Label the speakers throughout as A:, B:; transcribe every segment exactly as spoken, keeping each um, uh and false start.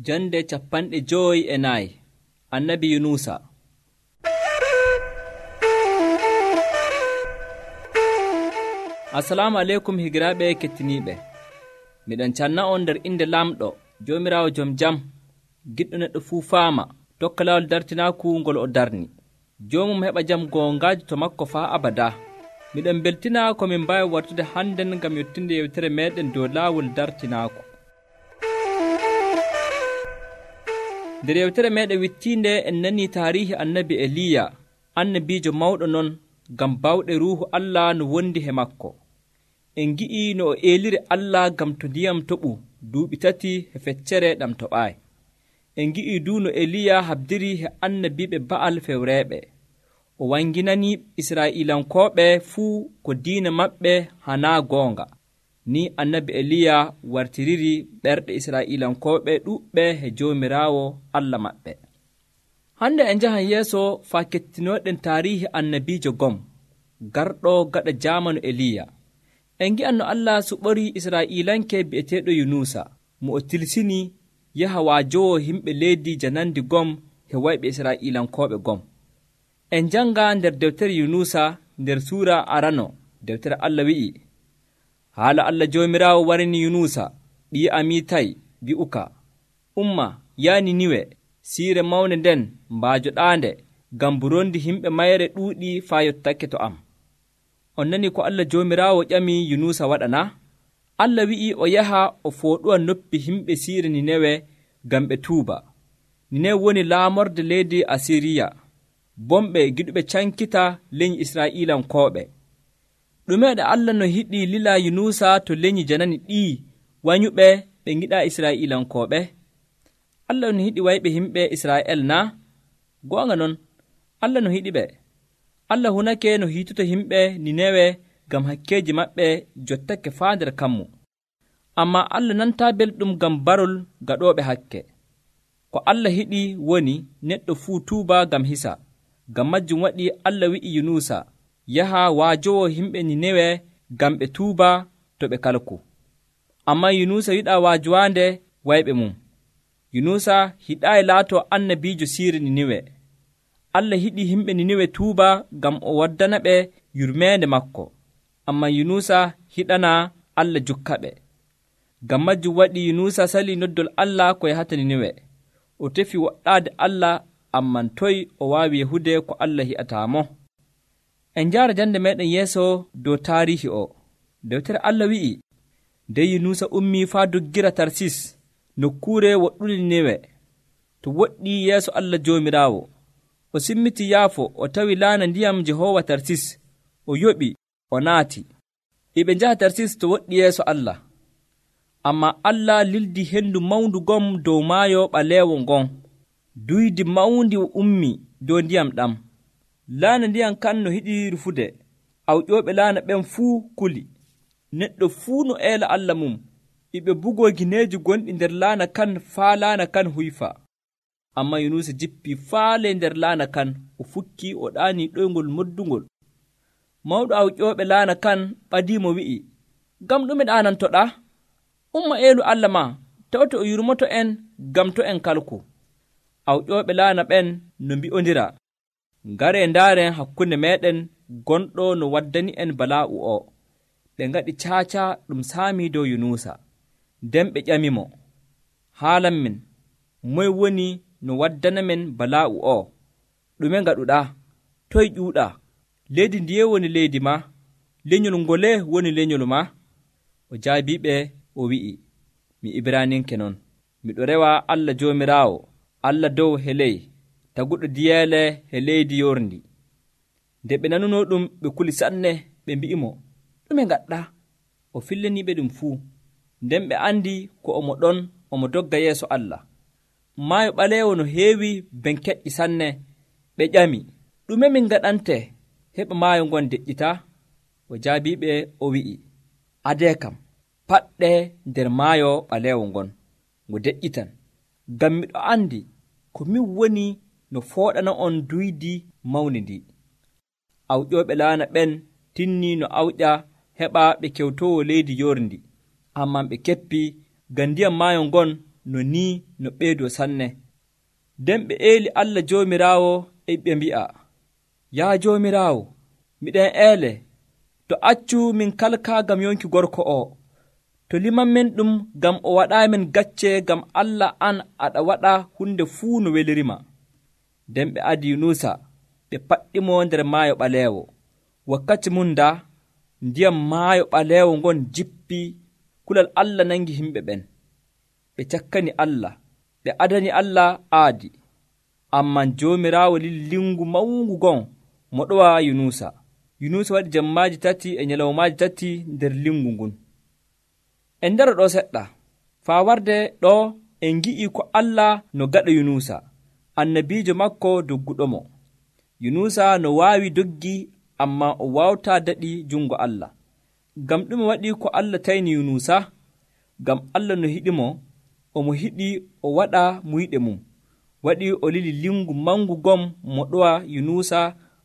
A: Jande capanɗe joyi e nayi. Annabi Yunusa. Assalamu aleykum higiraaɓe kettiniiɓe. Miɗon canna on nder inde lamɗo Joomiraawo jom jam, giɗɗo neɗɗo fuu faama, tokka laawol dartinaaku ngol o darni. Joomum heɓa jam goongaaji to makko faa abada. Miɗon beltina ko min mbaawi wartude hannden ngam yottinde yewtere meeɗen dow laawol dartinaaku. nder yewtere meeɗen wittiinde en nanii taarihi annabi Eliya, annabiijo mawɗo non ngam bawɗe ruuhu Allah no wondi he makko. En ngi'ii no o eeliri Allah ngam to ndiyam toɓu duuɓi tati he feccere ɗam toɓaayi. En ngi'ii duu no Eliya habdiri he annabiiɓe Ba'al fewreeɓe. O wanginanii Israa'iilankooɓe fuu ko diina maɓɓe hanaa goonga. Ni annabi Eliya wartiriri ɓerɗe Israa'iilankooɓe ɗuuɓɓe he Joomiraawo Allah maɓɓe. Hande en njahan yeeso faa kettinoɗen taarihi annabiijo gom garɗo gaɗa jaamanu Eliya. En ngi'an no Allah suɓori Israa'iilanke bi'eteeɗo Yunusa mo o tilsini yaha waajowo himɓe leydi janandi gom he wayɓe Israa'iilankooɓe gom. En njanga nder dewtere Yunusa nder suura arano dewtere Allah wi'i, haala Allah Joomiraawo warini Yunusa ɓii Amitay wi'uka, umma yaani Niwe, siire mawne nden mbaajoɗaande ngam burondi himɓe mayre ɗuuɗi faa yottake to am. On nani ko Allah Joomiraawo ƴami Yunusa waɗana? Allah wi'i o yaha o fooɗuwa noppi himɓe siire Ninewe ngam ɓe tuuba. Ninewe woni laamorde leydi Asiriya, bomɓe giɗuɓe cankita leñi Israa'iilankooɓe. ɗumeeɗe Allah no hiɗi lila Yunusa to leñi janani ɗii wanyuɓe ɓe ngiɗaa Israa'iilankooɓe? Allah no hiɗi wayɓe himɓe Israa'el naa? Goonga non, Allah no hiɗi ɓe. Allah hunake no hiituta himɓe Ninewe ngam hakkeeji maɓɓe jottake faa nder kammu. Ammaa Allah nantaa belɗum ngam barol gaɗooɓe hakke. Ko Allah hiɗi woni neɗɗo fuu tuuba ngam hisa. Ngam majjum waɗi Allah wi'i Yunusa yaha waajowo himɓe Ninewe ngam ɓe tuuba to ɓe kalku. Ammaa Yunusa yiɗaa waajowaande wayɓe mum. Yunusa hiɗaayi laato annabiijo siire Ninewe. Allah hiɗi himɓe Ninewe tuuba ngam o waddana ɓe yurmeende makko. Ammaa Yunusa hiɗanaa Allah jukka ɓe. Ngam majjum waɗi Yunusa salii noddol Allah ko yahata Ninewe. O tefi woɗɗaade Allah, amman toy o waawi yahude ko Allah hi'ataamo? En njaara jande meeɗen yeeso dow taarihi o. Dewtere Allah wi'i, nden Yunusa ummii faa doggira Tarsis, nokkuure woɗɗude Ninewe, to woɗɗii yeeso Allah Joomiraawo. O simmiti yaafo, o tawi laana ndiyam Jehoowa Tarsis, o yoɓi, o naati. E ɓe njaha Tarsis to woɗɗi yeeso Allah. Ammaa Allah lildi henndu mawndu gom dow maayo ɓaleewo ngon. Duydi mawndi ummii dow ndiyam ɗam. Laana ndiyam kan no hiɗi rufude, awƴooɓe laana ɓen fuu kuli. Neɗɗo fuu no eela Allah mum, e ɓe bugoo gineeji gonɗi nder laana kan faa laana kan huyfa. Ammaa Yunusa jippii faale nder laana kan, o fukkii o ɗaanii ɗoyngol moddungol. Mawɗo awƴooɓe laana kan ɓadiimo wi'i, ngam ɗume ɗaanantoɗaa? Umma eelu Allah ma, tawte o yurmoto en ngam to en kalku. Awƴooɓe laana ɓen no mbi'ondira, ngaree ndaaren hakkunde meeɗen gonɗo no waddani en balaa'u o. Ɓe ngaɗi caaca ɗum saamii dow Yunusa. Nden ɓe ƴamimo, haalan min, moye woni no waddana men balaa'u o? Ɗume ngaɗuɗaa? Toye ƴuuɗaa? Leydi ndiye woni leydi ma? Lenyol ngole woni lenyol ma? O jaabiiɓe o wi'i, mi Ibraaninke non. Miɗo rewa Allah Joomiraawo, Allah dow he ley, taguɗo diyeele he leydi yorndi. Nde ɓe nanunoo ɗum ɓe kuli sanne, ɓe mbi'imo, ɗume ngaɗɗaa? O fillaniiɓe ɗum fuu. Nden ɓe andi ko omo ɗon omo dogga yeeso Allah. Maayo ɓaleewo no heewi ben keƴƴi sanne. Ɓe ƴami, ɗume min ngaɗante heɓa maayo ngon deƴƴitaa? O jaabiiɓe o wi'i, adee kam, paɗɗe nder maayo ɓaleewo ngon, ngo deƴƴitan. Ngam miɗo andi ko min woni no fooɗana on duydi mawni ndi. Awƴooɓe laana ɓen tinnii no awƴa heɓa ɓe kewtowo leydi yorndi. Amman ɓe keppii ngam ndiyam maayo ngon no ni no ɓeydoo sanne. nden ɓe eeli Allah Joomiraawo e ɓe mbi'a, yaa Joomiraawo, miɗen eele, to accu min kalkaa ngam yonki gorko o, to liman men ɗum ngam o waɗaamin gacce ngam Allah an aɗa waɗa hunde fuu no welirima. nden ɓe adi Yunusa ɓe paɗɗimo nder maayo ɓaleewo. wakkati mum da ndiyam maayo ɓaleewo ngon jippi, kulal Allah nangi himɓe ɓen. ɓe cakkani Allah, ɓe adani Allah aadi. amman Joomiraawo lili lingu mawngu gon mo ɗowa Yunusa. Yunusa waɗi jammaaji tati e nyalawmaaji tati nder lingu ngun. en ndaro ɗo seɗɗa faa warde ɗo en ngi'i ko Allah no gaɗa Yunusa, annabiijo makko dogguɗomo. Yunusa no waawi doggi, amma o waawtaa daɗi jungo Allah. ngam ɗume waɗi ko Allah tayni Yunusa? ngam Allah no hiɗimo, omo hiɗi o waɗa muyɗe mum. waɗi o lili lingu mangu gom mo ɗowa Yunusa,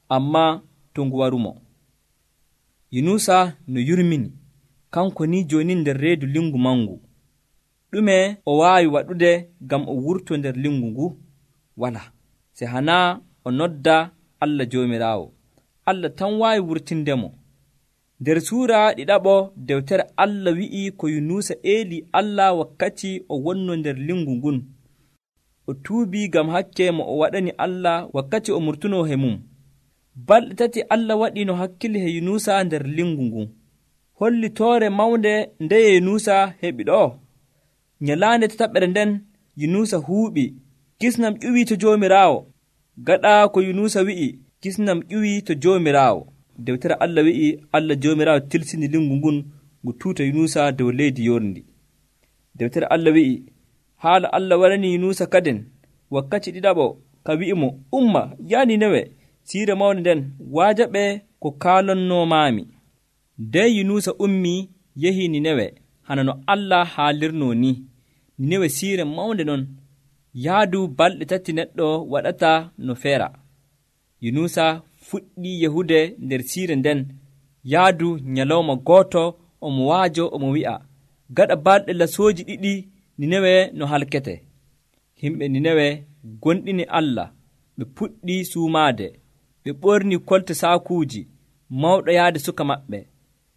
A: amma to ngu warumo. Yunusa no yurmini, kanko ni joni nder reedu lingu mangu. ɗume o waawi waɗude ngam o wurto nder lingu ngu? wala, se hana o nodda Allah Joomiraawo. Allah tan waawi wurtindemo. nder suura ɗiɗaɓo dewtere Allah wi'i ko Yunusa eeli Allah wakkati o wonno nder lingu ngun. o tuubi ngam hakke mo o waɗani Allah wakkati o murtuno he mum. balɗe tati Allah waɗi no hakkili he Yunusa nder lingu ngun. holli toore mawnde ndeye Yunusa heɓi ɗo. nyalaande tataɓere nden Yunusa huuɓi, kisnam ƴuwi to Joomiraawo. gaɗa ko Yunusa wi'i, kisnam ƴuwi to Joomiraawo. dewtere Allah wi'i Allah Joomiraawo tilsini lingu ngun ngu tuuta Yunusa dow leydi yorndi. dewtere Allah wi'i haala Allah warani Yunusa kaden wakkati ɗiɗaɓo ka wi'imo, umma yaa Ninewe, siire mawnde nden waajaɓe ko kaalonnomaami. nden Yunusa ummi yehi Ninewe hana no Allah haalirno ni. Ninewe siire mawnde non, yaadu balɗe tati neɗɗo waɗata no feera. Yunusa fuɗɗi yahude nder siire nden. yaadu nyalawma gooto omo waajo omo wi'a, gaɗa balɗe lasooji ɗiɗi Ninewe no halkete. himɓe Ninewe gonɗini Allah, ɓe puɗɗi suumaade, ɓe ɓorni kolte saakuuji, mawɗo yaade suka maɓɓe.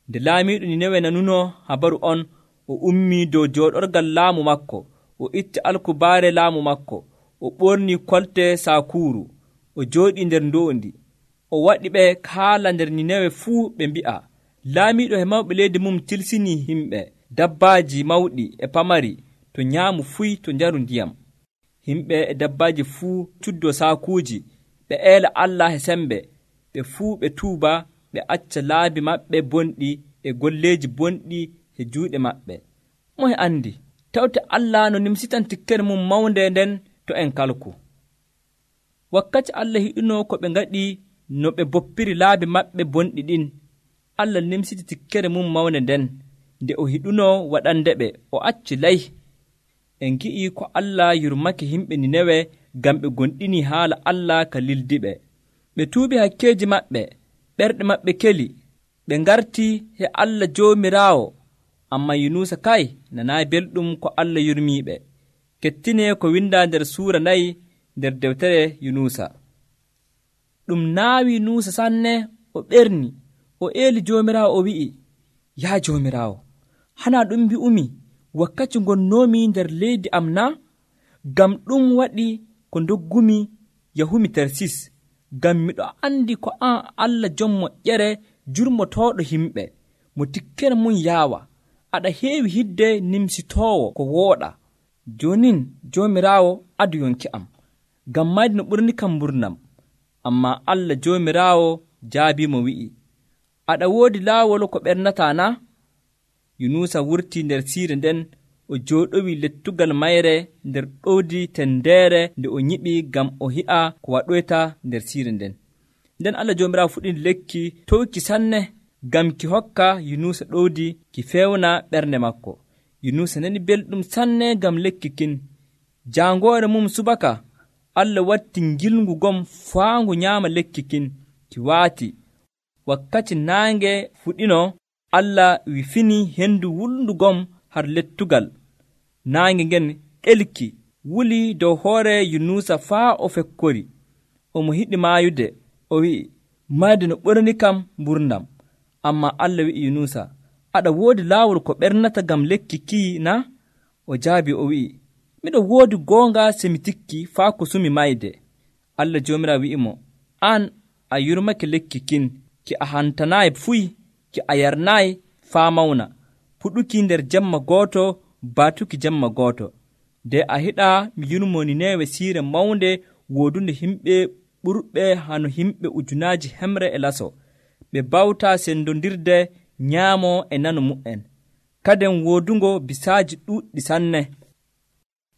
A: nde laamiiɗo Ninewe nanuno habaru on, o ummii dow jooɗorgal laamu makko, o itti alkubaare laamu makko, o ɓorni kolte saakuuru, o jooɗii nder ndoondi. o waɗi ɓe kaala nder Ninewe fuu ɓe mbi'a, laamiiɗo he mawɓe leydi mum tilsini himɓe, dabbaaji mawɗi e pamari, to nyaamu fuy to njaru ndiyam. himɓe e dabbaaji fuu cuddo saakuuji, ɓe eela Allah he sembe, ɓe fuu ɓe tuuba, ɓe acca laabi maɓɓe bonɗi e golleeji bonɗi e juuɗe maɓɓe. moye andi tawte Allah no nimsitan tikkere mum mawnde nden to en kalku. wakkati Allah hiɗuno ko ɓe ngaɗi no ɓe boppiri laabi maɓɓe bonɗi ɗin, Allah nimsiti tikkere mum mawnde nden. nde o hiɗuno waɗande ɓe, o acci lay. en gi'i ko Allah yurmake himɓe Ninewe ngam ɓe gonɗini haala Allah ka lildiɓe. ɓe tuubi hakkeeji maɓɓe, ɓerɗe maɓɓe keli, ɓe ngarti he Allah Joomiraawo. amma Yunusa kay nanaayi belɗum ko Allah yurmiiɓe. kettine ko winda nder suura nayi nder dewtere Yunusa. ɗum naawi Yunusa sanne, o ɓerni, o eeli Joomiraawo, o wi'i, yaa Joomiraawo, hana ɗum mbi'umi wakkati ngonnoomi nder leydi am na? ngam ɗum waɗi ko doggumi yahumi Tarsis, ngam miɗo andi ko an Allah jom moƴƴere jurmotooɗo himɓe, mo tikkere mum yaawa, aɗa heewi hidde nimsitoowo ko wooɗa. jonin Joomiraawo adu yonki am, ngam mayde no ɓurni kam mburnam. amma Allah Joomiraawo jaabiimo wi'i, aɗa woodi laawol ko ɓernata na? Yunusa wurti nder siire nden, o jooɗowi lettugal mayre nder ɗowdi tendeere nde o nyiɓi ngam o hi'a ko waɗoyta nder siire nden. nden Allah Joomiraawo fuɗɗi lekki towki sanne ngam ki hokka Yunusa ɗowdi ki fewna ɓernde makko. Yunusa nani belɗum sanne ngam lekki kin. jaangoore mum subaka, Allah watti ngilngu gom faangu nyaama lekki kin, ki waati. wakkati naange fuɗino, Allah wifini hendu wulndu gom har lettugal. naange ngen ɗelki wuli dow hoore Yunusa faa o fekkori. Omo hiɗi maayude. O wi'i, mayde no ɓorni kam mburnam. Ammaa Allah wi'i Yunusa, aɗa woodi laawol ko ɓernata ngam lekki kii na? O jaabi o wi'i, miɗo woodi goonga se mi tikki faa ko sumi mayde. Allah Joomiraawo wi'imo, an a yurmake lekki kin, ki a hantanaayi fuy, ki a yarnaayi faa mawna, puɗuki nder jemma gooto, baatuki jemma gooto. Nde a hiɗaa mi yurmo Ninewe siire mawnde woodunde himɓe ɓurɓe hano himɓe ujunaaji hemre e laso. Ɓe bawtaa sendondirde nyaamo e nano mu'en. Kaden woodungo bisaaji ɗuuɗɗi sanne.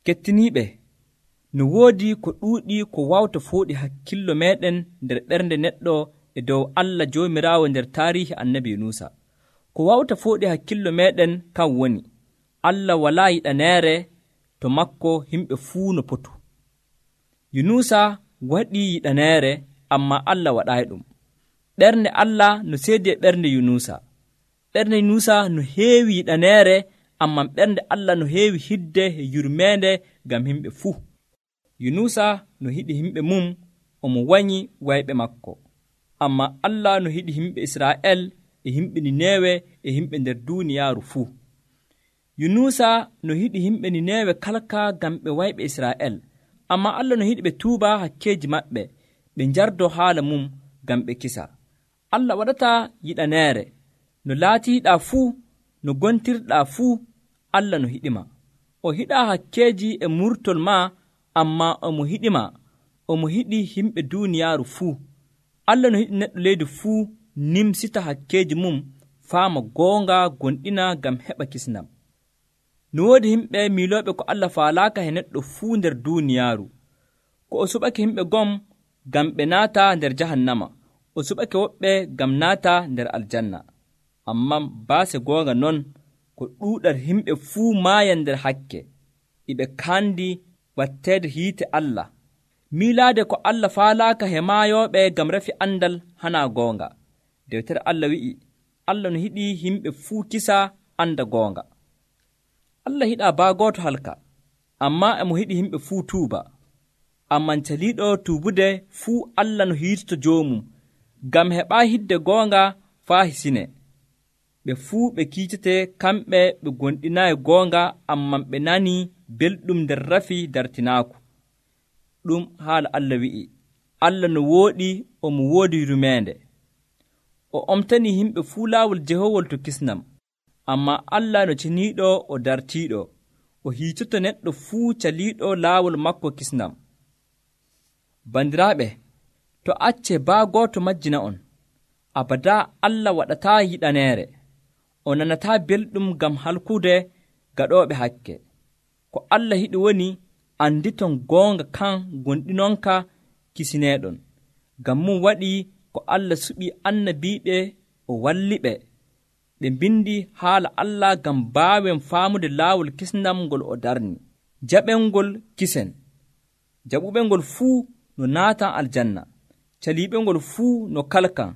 A: Kettiniiɓe, no woodi ko ɗuuɗi ko wawta fooɗi hakkillo meeɗen nder ɓernde neɗɗo e dow Allah Joomiraawo nder taarihi annabi Yunusa. Ko wawta fooɗi hakkillo meeɗen kan woni, Allah walaa yiɗaneere to makko himɓe fuu no potu. Yunusa waɗii yiɗaneere, ammaa Allah waɗaayi ɗum. Ɓernde Allah no seedi e ɓernde Yunusa. Ɓernde Yunusa no heewi yiɗaneere, ammaa ɓernde Allah no heewi hidde e yurmeende ngam himɓe fuu. Yunusa no hiɗi himɓe mum, omo wanyi wayɓe makko. Ammaa Allah no hiɗi himɓe Israa'el e himɓe Ninewe e himɓe nder duuniyaaru fuu. Yunusa no hiɗi himɓe Ninewe kalka ngam ɓe wayɓe Israa'el. Ammaa Allah no hiɗi ɓe tuuba hakkeeji maɓɓe, ɓe njardoo haala mum ngam ɓe kisa. Allah waɗataa yiɗaneere. No laatiiɗaa fuu, no gontirɗaa fuu, Allah no hiɗima. O hiɗaa hakkeeji e murtol maa, ammaa omo hiɗima. Omo hiɗi himɓe duuniyaaru fuu. Allah no hiɗi neɗɗo leydi fuu nimsita hakkeeji mum, faama goonga gonɗina ngam heɓa kisnam. No woodi himɓe miilooɓe ko Allah faalaaka he neɗɗo fuu nder duuniyaaru. Ko o suɓake himɓe gom ngam ɓe naata nder jahannama, o suɓake woɓɓe ngam naata nder aljanna. Ammaa baase goonga non, ko ɗuuɗal himɓe fuu maayan nder hakke, iɓe kaandi watteede hiite Allah. Miilaade ko Allah faalaaka he maayooɓe ngam rafi andal hanaa goonga. Dewtere Allah wi'i, Allah no hiɗi himɓe fuu kisa anda goonga. Allah hiɗaa baa gooto halka, ammaa emo hiɗi himɓe fuu tuuba. Amman caliiɗo tuubude fuu Allah no hiitoto joomum, ngam heɓaa hidde goonga faa hisine. Ɓe fuu ɓe kiitete kamɓe ɓe gonɗinaayi goonga, amman ɓe nanii belɗum nder rafi dartinaaku. Ɗum haala Allah wi'i, Allah no wooɗi, omo woodi yurmeende. O omtanii himɓe fuu laawol jehowol to kisnam, ammaa Allah no ceniiɗo o dartiiɗo, o hiitoto neɗɗo fuu caliiɗo laawol makko kisnam. Bandiraaɓe, to accee baa gooto majjina on, abadaa Allah waɗataa yiɗaneere. O nanataa belɗum ngam halkude gaɗooɓe hakke. Ko Allah hiɗi woni, anditon goonga kan gonɗinonka kisineeɗon. Ngam mum waɗii ko Allah suɓii annabiiɓe o walliɓe. Ɓe mbindi haala Allah ngam mbaawen faamude laawol kisnam ngol o darni. Jaɓengol kisen. Jaɓuɓengol fuu no naatan aljanna. Caliiɓengol fuu no kalkan.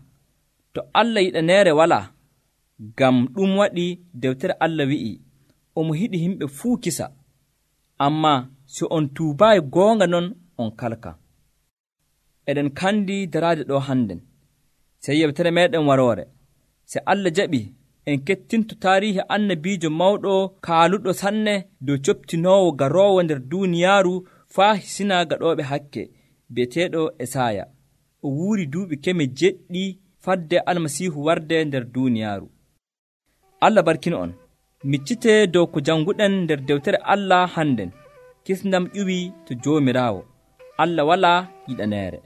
A: To Allah yiɗaneere walaa. Ngam ɗum waɗi dewtere Allah wi'i, omo hiɗi himɓe fuu kisa. Ammaa so on tuubaayi goonga non on kalka. Eɗen kandi daraade ɗo hannden, sey yewtere meeɗen waroore. Se Allah jaɓi, en kettinto taarihi annabiijo mawɗo kaaluɗo sanne dow coptinoowo garoowo nder duuniyaaru faa hisina gaɗooɓe hakke, bi'eteeɗo Esaaya. O wuuri duuɓi keme jeɗɗi fadde Almasiihu warde nder duuniyaaru. Allah barkino on. Miccitee dow ko jannguɗen nder dewtere Allah hannden. Kisndam ƴuwii to Joomiraawo. Allah walaa yiɗaneere.